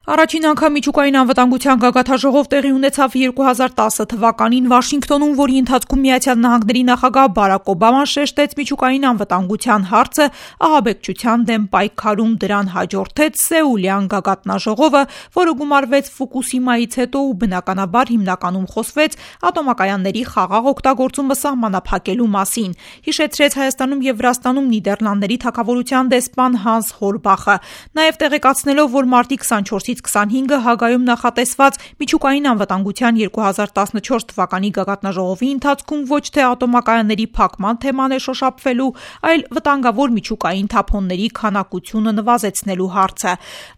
Առաջին անգամ միջուկային անվտանգության գագաթնաժողով տեղի ունեցավ 2010 թվականին Վաշինգտոնում, որի ընթացքում ԱՄՆ նախագահ Բարաք Օբաման շեշտեց միջուկային անվտանգության հարցը, ահաբեկչության դեմ պայքարում դրան հաջորդեց Սեուլյան գագաթնաժողովը, որը գումարվեց Ֆուկուսիմայից հետո ու բնականաբար հիմնականում խոսվեց ատոմակայանների խաղաղ օգտագործումը սահմանափակելու մասին, հիշեցրեց Հայաստանում և Վրաստանում Նիդերլանդների թագավորության դեսպան Հանս Հորբախը, նաև տեղեկացնելով, որ մարտի 24-ից 25-ը Հագայում նախատեսված միջուկային անվտանգության 2014 թվականի գագաթնաժողովի ընթացքում ոչ թե ատոմակայանների փակման թեման է շոշափվելու, այլ վտանգավոր միջուկային թափոնների քանակությունը նվազեցնելու հարցը։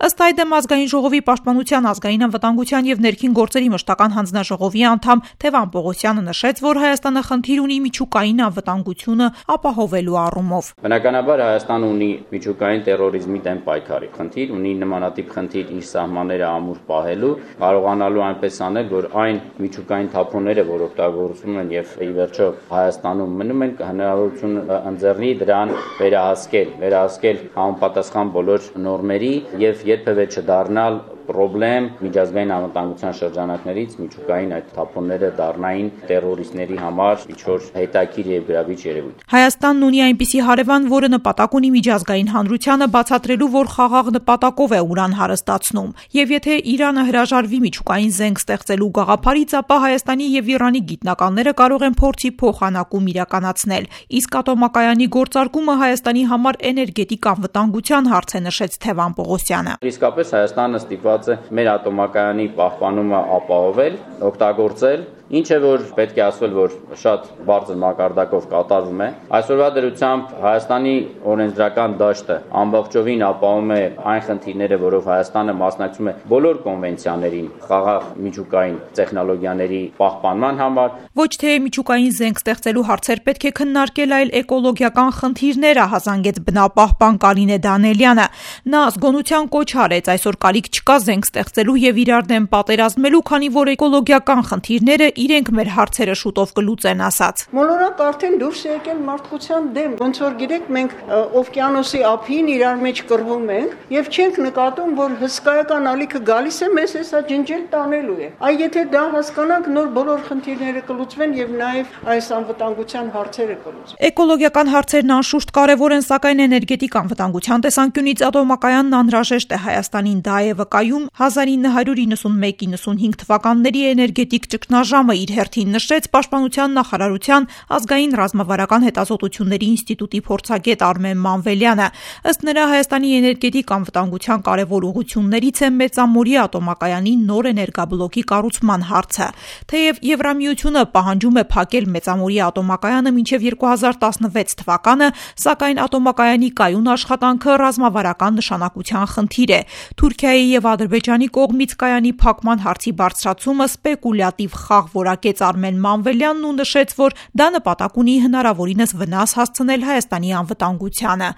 Ըստ այդմ Ազգային ժողովի պաշտպանության, ազգային անվտանգության և ներքին գործերի մշտական հանձնաժողովի անդամ Թևան Պողոսյանը նշեց, որ Հայաստանը խնդիր ունի միջուկային անվտանգությունը ապահովելու առումով։ Բնականաբար Հայաստանը ունի միջուկային տերորիզմի դեմ պայքարի խնդիր, ունի նմանատիպ խնդիր իր սահմանները ամուր պահելու, կարողանալու այնպես անել, որ այն միջուկային թափոնները, որ օգտագործվում են եւ ի վերջո Հայաստանում մնում են, հնարավորություն ընձեռնի դրան վերահասկել համապատասխան բոլոր նորմերի եւ երբևէ չդառնալ պրոբլեմ միջազգային անվտանգության շրջանակներից միջուկային այդ թափոնները դառնային տերորիստների համար ինչ-որ հետաքրքիր եւ գրավիչ երևույթ։ Հայաստանն ունի այնպիսի հարևան, որը նպատակ ունի միջազգային հանրությանը բացատրելու, որ խաղաղ նպատակով է ուրան հարստացնում, եւ եթե Իրանը հրաժարվի միջուկային զենք ստեղծելու գաղափարից, ապա Հայաստանի եւ Իրանի գիտնականները կարող են փորձի փոխանակում իրականացնել, իսկ ատոմակայանի գործարկումը Հայաստանի համար էներգետիկ անվտանգության հարց է, նշեց Թևան Պողոսյանը։ Իսկապես Հայաստանը ստիպված է մեր ատոմակայանի պահպանումը ապահովել, օգտագործել, ինչ է որ պետք է ասվել, որ շատ բարձր մակարդակով կատարվում է։ Այսօրվա դրությամբ Հայաստանի օրենսդրական դաշտը ամբողջովին ապահովում է այն խնդիրները, որով Հայաստանը մասնակցում է բոլոր կոնվենցիաներին խաղաղ միջուկային տեխնոլոգիաների պահպանման համար։ Ոչ թե միջուկային զենք ստեղծելու հարցեր պետք է քննարկել, այլ էկոլոգիական խնդիրներ, ահազանգեց բնապահպան Կարինե Դանելյանը։ Նա զգոնության կոչ արեց, այսօր կարիք չկա զենք ստեղծելու եւ իրար դեմ պատերազմելու, քանի որ էկոլոգիական խնդիրները իրենք մեր հարցերը շուտով կլուծեն, ասաց։ Մոլորակ արդեն դուրս է եկել մարդկության դեմ, ոնց որ գիտեք, մենք օվկիանոսի ափին իրար մեջ կռվում ենք եւ չենք նկատում, որ հսկայական ալիքը գալիս է, մեզ հեսա ջնջել տանելու է։ Այ եթե դա հասկանանք, նոր բոլոր խնդիրները կլուծվեն եւ նաեւ այս անվտանգության հարցերը կլուծվեն։ Էկոլոգիական հարցերն անշուշտ կարևոր են, սակայն էներգետիկ անվտանգության տեսանկյունից ատոմակայանն անհրաժեշտ է Հայաստանին, դա է վկայում 1991-95 թվականների էներգետիկ ճգնաժամը, իր հերթին նշեց Պաշտպանության նախարարության ազգային ռազմավարական հետազոտությունների ինստիտուտի փորձագետ Արմեն Մանվելյանը։ Ըստ նրա, Հայաստանի էներգետիկ անվտանգության կարևոր ուղղություններից է Մեծամորի ատոմակայանի նոր էներգաբլոկի կառուցման հարցը։ Թեև Եվրամիությունը պահանջում է փակել Մեծամորի ատոմակայանը մինչև 2016 թվականը, սակայն ատոմակայանի կայուն աշխատանքը ռազմավարական նշանակության խնդիր է։ Թուրքիայի եւ Ադրբեջանի կողմից կայանի փակման հարցի բարձրացումը սպեկուլյատիվ խաղ որակեց Արմեն Մանվելյանն ու նշեց, որ դա նպատակ ունի հնարավորինս վնաս հասցնել Հայաստանի անվտանգությանը։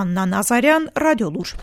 Աննա Նազարյան, Ռադիոլուր։